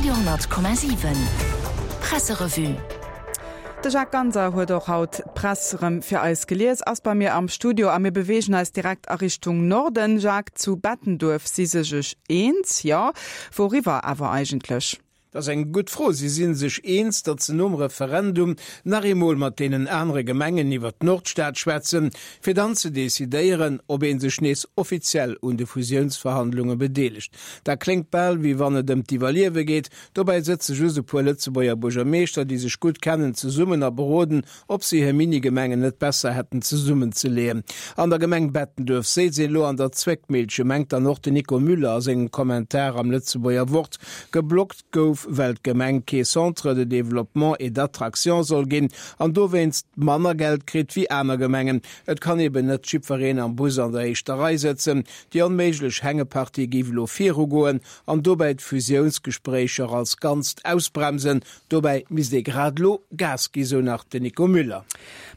Radio 10,7 Presserevue. De Jacques Ganser huet och haut d'Press erëm fir eis gelies, ass bei mir am Studio a mir beweegen eis direkt a Richtung Norden. Jacques, zu Bettenduerf si se sech eens, jo, wouriwwer awer eigentlech? Dat ass eng gutt Fro. Si si sech eens, datt se nom Referendum nach eemol mat deenen anere Gemengen iwwer d'Nordstad schwätzen, fir dann ze decidéieren, ob ee sech nees offiziell un de Fusiounsverhandlunge bedeelegt. Dat kléngt bal, wéi wann et ëm d'Iwwerliewe geet. Dobäi sëtze just e puer Lëtzebuerger Buergermeeschter, déi sech gutt kennen, zesummen a beroden, ob se hir Minigemengen net besser hätten zesummenzeleeën. An der Gemeng Bettenduerf séiz een elo an der Zwéckmillche, mengt dann och den Nico Müller a sengem Kommentar am Lëtzebuerger Wort. Geblockt gouf, well d'Gemeng kee Centre de développement et d'attraction soll ginn an dowéinst manner Geld kritt wéi aner Gemengen. Et kann eben net jiddwereen am Bus an der éischter Rei sëtzen. Déi onméiglech Hängepartie géif elo virugoen an dobäi d'Fusiounsgespréicher als Ganzt ausbremsen. Dobäi misst ee grad elo Gas gi, sou nach den Nico Müller.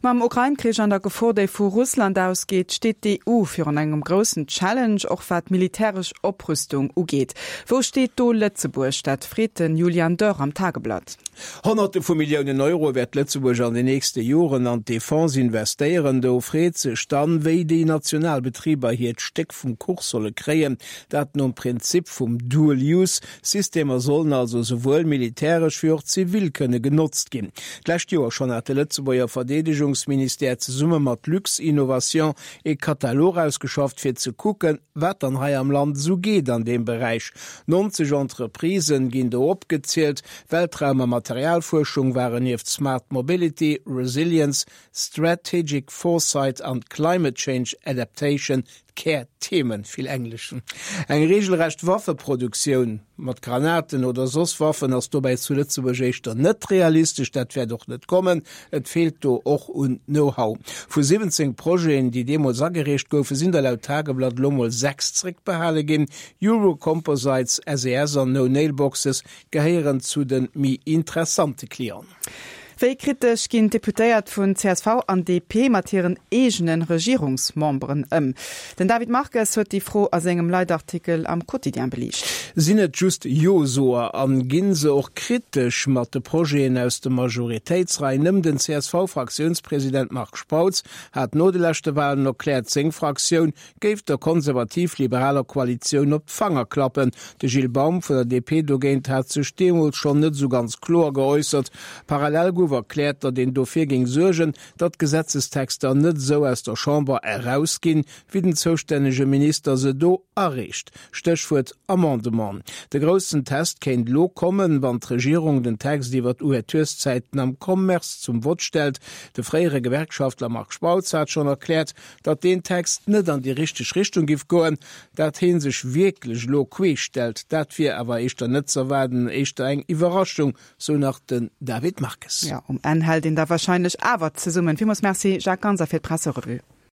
Mam Ukrain-Krich an der Gefor, déi vu Russland ausgeet, steet d'EU virun engem groussen Challenge, och wat militäresch Oprüstung ugeet. Wou steet do Lëtzebuerg? Dat freet de Julian Dörr am Tageblatt. Honnerte vu Milliounen Euro wäert Lëtzebuerg an den nächste Joren an d'Defense investéieren. Do freet sech dann, wéi déi national Betriber hiert Stéck vum Kuch solle kréien. Dat nom Prinzip vum Dual Use, Systemer sollen also souwuel militäresch wéi och zivil kënne genotzt ginn. D'lescht Joer schonn hat de Lëtzebuerger Verdeedegungsministère zesumme mat Luxinnovation ee Katalog ausgeschafft, fir ze kucken, wat dann hei am Land esou geet an deem Beräich. 90 Entreprisen ginn do opgezielt. Weltraum a Materialfuerschung waren nieft Smart Mobility, Resilience, Strategic Foresight an Climate Change Adaptation D'Kär-Themen, vill Englesch. Eng regelrecht Waffeproduktioun mat Granaten oder soss Waffen ass dobäi zu Lëtzebuerg éischter net realistesch. Dat wäert och net kommen. Et feelt do och un Know-how. Vu 17 Projeten, déi deemools agereecht goufen, sinn der laut Tageblatt elo mol 6 zréckbehale ginn. Euro-Composites, SES an No Nail Boxes gehéieren zu de méi interessante Clienten. Wéi kritesch ginn d'Deputéiert vun csv an DP mat hiren eegene Regierungsmemberen ëm? Den David Marques huet déi Fro a sengem Leitartikel am Quotidien beliicht. Sinn et just Jo-Soer an ginn se och kritesch mat de Projeten aus de Majoritéitsreien ëm? Den CSV-Fraktiounspresident Marc Spautz hat no de leschte Walen erkläert, seng Fraktioun géif der konservativ-liberaler Koalitioun op d'Fanger klappen. De Gilles Baum vun der DP dogéint hat sech deemools schonn net esou ganz kloer geäussert. Parallel gouf erkläert, datt een dofir géing suergen, datt d'Gesetzestexter net esou aus der Chamber erausginn, wéi den zoustännege Minister se do areecht. Stéchwuert Amendement. De groussen Test kéint elo kommen, wann d'Regierung den Text iwwer d'Ouvertureszäiten am Commerce zum Vott stellt. De fréiere Gewerkschaftler Marc Spautz hat schonn erkläert, datt deen Text net an déi richteg Richtung giff goen. Dat heen sech wierklech elo queesch stellt, dat wier awer éischter net z'erwaarden, éischter eng Iwwerraschung, sou nach den David Marques. Jo, um Enn hält een da wahrscheinlech awer zesummen. Villmools Merci Jacques Ganser fir d'Presserevue.